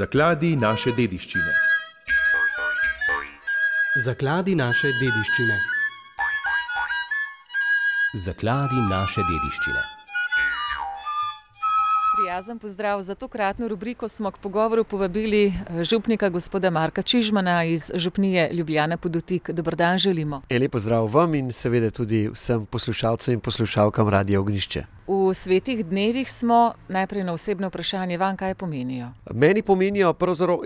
Zakladi naše dediščine. Zakladi naše dediščine. Zakladi naše dediščine. Prijazen pozdrav. Za tokratno rubriko smo k pogovoru povabili župnika gospoda Marka Čižmana iz župnije Ljubljana pod Otik. Dober dan želimo. Lep pozdrav vam in seveda tudi vsem poslušalcem in poslušalkam Radia Ognjišče. V svetih dnevih smo, najprej na osebno vprašanje, vam kaj pomenijo? Meni pomenijo pravzaprav,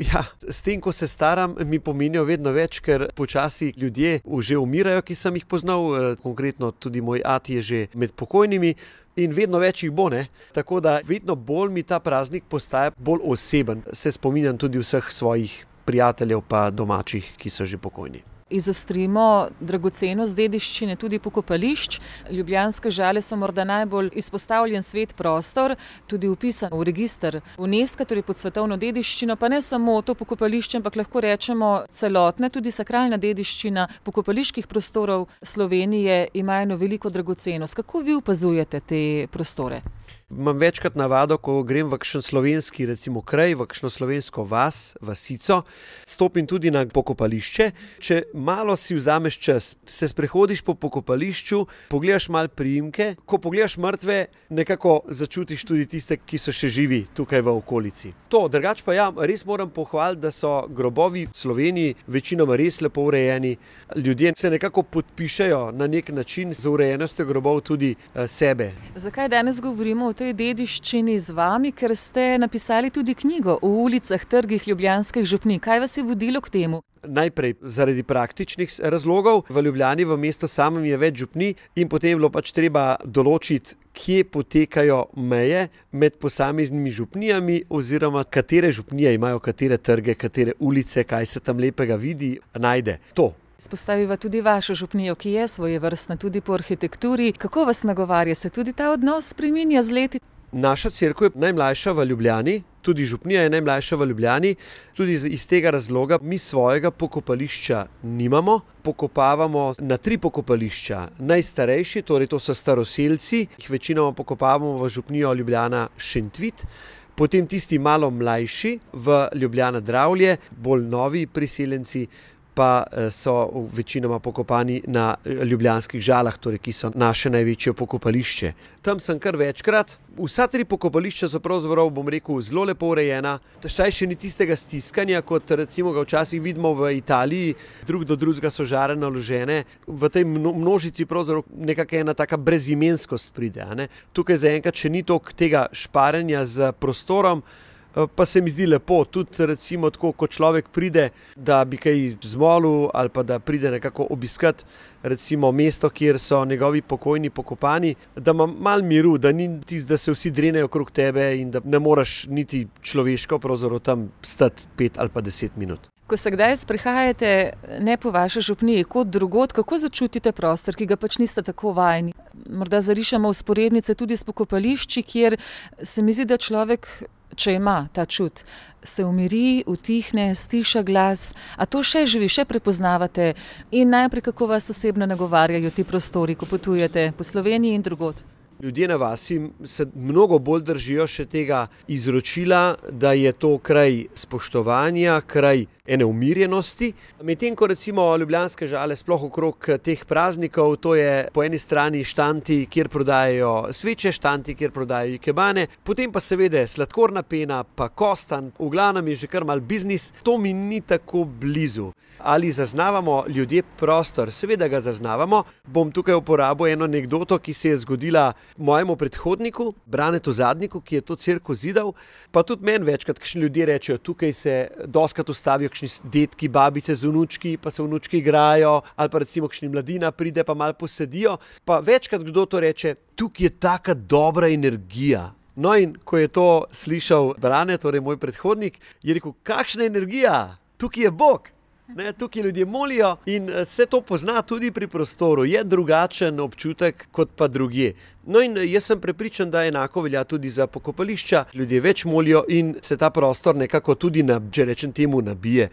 s tem, ko se staram, mi pomenijo vedno več, ker počasi ljudje že umirajo, ki sem jih poznal, konkretno tudi moj ati je že med pokojnimi. In vedno več jih bo, ne? Tako da vedno bolj mi ta praznik postaja bolj oseben. Se spominjam tudi vseh svojih prijateljev pa domačih, ki so že pokojni. Izostrimo dragocenost dediščine tudi pokopališč. Ljubljanske Žale so morda najbolj izpostavljen svet prostor, tudi vpisan v register UNESCO, torej pod svetovno dediščino, pa ne samo to pokopališče, ampak lahko rečemo celotna, tudi sakralna dediščina pokopaliških prostorov Slovenije ima eno veliko dragocenost. Kako vi opazujete te prostore? Imam večkrat navado, ko grem v kakšen slovenski recimo kraj, v kakšno slovensko vas, vasico, stopim tudi na pokopališče. Če malo si vzameš čas, se sprehodiš po pokopališču, pogledaš malo priimke, ko pogledaš mrtve, nekako začutiš tudi tiste, ki so še živi tukaj v okolici. Drugače pa res moram pohvaliti, da so grobovi v Sloveniji večinoma res lepo urejeni. Ljudje se nekako podpišejo na nek način z urejenostjo grobov tudi sebe. Zakaj danes govorimo o tej dediščini z vami? Ker ste napisali tudi knjigo o ulicah, trgih ljubljanskih župnij. Kaj vas je vodilo k temu? Najprej zaradi praktičnih razlogov. V Ljubljani, v mestu samem je več župnij in potem je bilo treba določiti, kje potekajo meje med posameznimi župnijami oziroma katere župnije imajo katere trge, katere ulice, kaj se tam lepega vidi, najde. Izpostaviva tudi vašo župnijo, ki je svojevrstna tudi po arhitekturi. Kako vas nagovarja? Se tudi ta odnos spreminja z leti? Naša cerkev je najmlajša v Ljubljani, tudi župnija je najmlajša v Ljubljani. Tudi iz tega razloga mi svojega pokopališča nimamo. Pokopavamo na 3 pokopališča. Najstarejši, torej to so staroselci, jih večinoma pokopavamo v župnijo Ljubljana Šentvid. Potem tisti malo mlajši v Ljubljana Dravlje, bolj novi priseljenci, pa so večinoma pokopani na Ljubljanskih Žalah, torej, ki so naše največje pokopališče. Tam sem kar večkrat. Vsa 3 pokopališča so pravzaprav, zelo lepo urejena. Saj še ni tistega stiskanja, kot recimo ga včasih vidimo v Italiji, drug do drugega so žare naložene. V tej množici pravzaprav nekako ena taka brezimenskost pride. Tukaj zaenkrat še ni toliko tega šparanja z prostorom, pa se mi zdi lepo, tudi recimo tako, ko človek pride, da bi kaj zmolil ali pa da pride nekako obiskati recimo mesto, kjer so njegovi pokojni pokopani, da ima malo miru, da ni da se vsi drenejo okrog tebe in da ne moreš niti človeško pravzaprav tam stati 5 ali pa 10 minut. Ko se kdaj sprehajate ne po vaši župniji, kot drugod, kako začutite prostor, ki ga pač niste tako vajeni? Morda zarišemo vzporednice tudi s pokopališči, kjer se mi zdi, da človek, če ima ta čut, se umiri, utihne, stiša glas. A to še živi, še prepoznavate? In najprej, kako vas osebno nagovarjajo ti prostori, ko potujete po Sloveniji in drugod? Ljudje na vasi se mnogo bolj držijo še tega izročila, da je to kraj spoštovanja, kraj ene umirjenosti. Medtem ko recimo Ljubljanske Žale sploh okrog teh praznikov, to je po eni strani štanti, kjer prodajajo sveče, štanti, kjer prodajajo ikebane, potem pa seveda sladkorna pena, pa kostan, v glavnem je že kar mal biznis. To mi ni tako blizu. Ali zaznavamo ljudje prostor? Seveda ga zaznavamo. Bom tukaj uporabil eno anekdoto, ki se je zgodila mojemu predhodniku, Branetu Zadniku, ki je to cerkev zidal, pa tudi meni večkrat kakšni ljudje rečejo, tukaj se dostikrat ustavijo kakšni dedki, babice z vnučki, pa se vnučki igrajo, ali pa recimo kakšni mladina pride, pa malo posedijo, pa večkrat kdo to reče, tukaj je taka dobra energija. No in ko je to slišal Brane, torej moj predhodnik, je rekel, kakšna energija, tukaj je Bog. Tukaj ljudje molijo in se to pozna tudi pri prostoru. Je drugačen občutek kot pa drugje. No in jaz sem prepričan, da enako velja tudi za pokopališča. Ljudje več molijo in se ta prostor nekako tudi, če rečem temu, nabije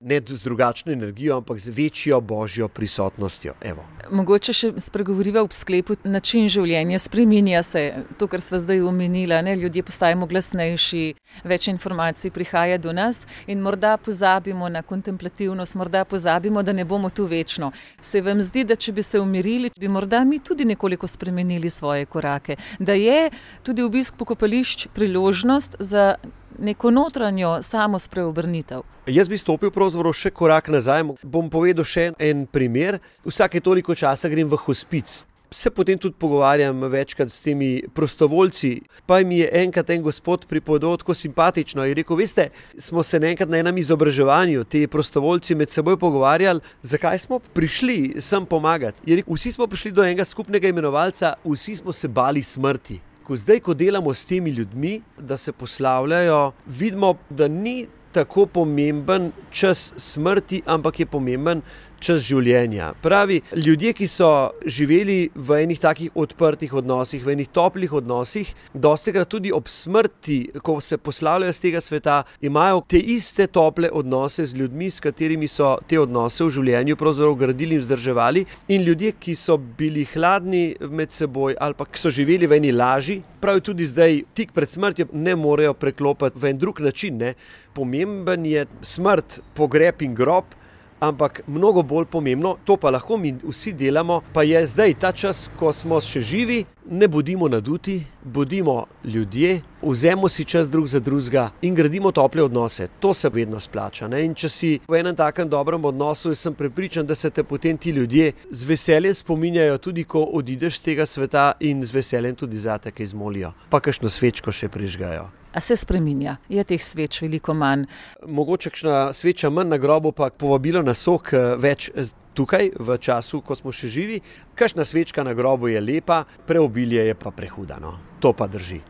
ne z drugačno energijo, ampak z večjo božjo prisotnostjo. Evo. Mogoče še spregovoriva ob sklepu, način življenja spreminja se, to, kar sva zdaj omenila, ne? Ljudje postajamo glasnejši, več informacij prihaja do nas in morda pozabimo na kontemplativnost, morda pozabimo, da ne bomo tu večno. Se vam zdi, da če bi se umirili, bi morda mi tudi nekoliko spremenili svoje korake, da je tudi obisk pokopališč priložnost za neko notranjo samospreobrnitev. Jaz bi stopil pravzaprav še korak nazaj, bom povedal še en primer. Vsake toliko časa grem v hospic. Se potem tudi pogovarjam večkrat s temi prostovoljci, pa mi je enkrat en gospod pripovedoval tako simpatično. Je rekel, veste, smo se enkrat na enem izobraževanju ti prostovoljci med seboj pogovarjali, zakaj smo prišli sem pomagati. Je rekel, vsi smo prišli do enega skupnega imenovalca, vsi smo se bali smrti. Zdaj, ko delamo s temi ljudmi, da se poslavljajo, vidimo, da ni tako pomemben čas smrti, ampak je pomemben čas življenja. Pravi, ljudje, ki so živeli v enih takih odprtih odnosih, v enih toplih odnosih, dostikrat tudi ob smrti, ko se poslavljajo z tega sveta, imajo te iste tople odnose z ljudmi, s katerimi so te odnose v življenju pravzaprav gradili in vzdrževali. In ljudje, ki so bili hladni med seboj ali pa ki so živeli v eni laži, pravi tudi zdaj, tik pred smrtjo ne morejo preklopiti v en drug način. Ne. Pomemben je smrt, pogreb in grob, ampak mnogo bolj pomembno, to pa lahko mi vsi delamo, pa je zdaj ta čas, ko smo še živi, ne bodimo naduti, bodimo ljudje, vzemo si čas drug za drugega in gradimo tople odnose. To se vedno splača. Ne? In če si v enem takem dobrem odnosu, sem prepričan, da se te potem ti ljudje z veseljem spominjajo, tudi ko odideš z tega sveta in z veseljem tudi zate kaj zmolijo. Pa kakšno svečko še prižgajo. A se spreminja? Je teh sveč veliko manj? Mogoče kakšna sveča manj na grobu, pa povabilo na sok več tukaj, v času, ko smo še živi. Kakšna svečka na grobu je lepa, preobilje je pa prehuda. No. To pa drži.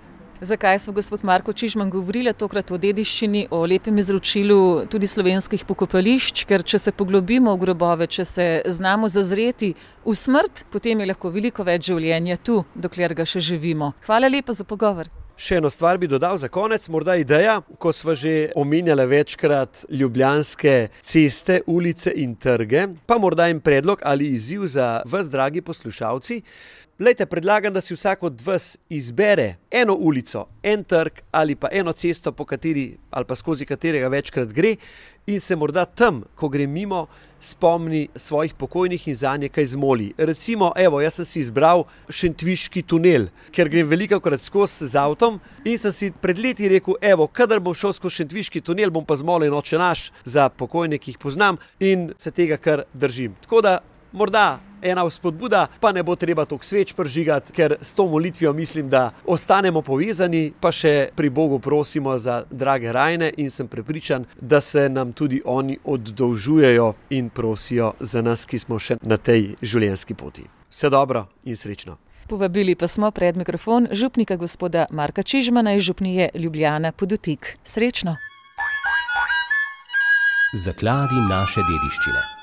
Zakaj smo, gospod Marko Čižman, govorili tokrat o dediščini, o lepem izročilu tudi slovenskih pokopališč, ker če se poglobimo v grobove, če se znamo zazreti v smrt, potem je lahko veliko več življenja tu, dokler ga še živimo. Hvala lepa za pogovor. Še eno stvar bi dodal za konec, morda ideja, ko sva že omenjala večkrat ljubljanske ceste, ulice in trge, pa morda en predlog ali izziv za vas, dragi poslušalci. Glejte, predlagam, da si vsak od vas izbere eno ulico, en trg ali pa eno cesto, po kateri ali pa skozi katerega večkrat gre in se morda tam, ko gre mimo, spomni svojih pokojnih in zanje kaj zmoli. Recimo, evo, jaz sem si izbral Šentviški tunel, ker grem velikokrat skozi z avtom in sem si pred leti rekel, evo, kadar bom šel skozi Šentviški tunel, bom pa zmolil Oče naš za pokojne, ki jih poznam in se tega kar držim. Tako da morda ena vzpodbuda, pa ne bo treba toliko sveč prižigati, ker s to molitvijo mislim, da ostanemo povezani, pa še pri Bogu prosimo za drage rajne in sem prepričan, da se nam tudi oni oddolžujejo in prosijo za nas, ki smo še na tej življenjski poti. Vse dobro in srečno. Povabili pa smo pred mikrofon župnika gospoda Marka Čižmana iz župnije Ljubljana Poddutik. Srečno! Zakladi naše dediščine.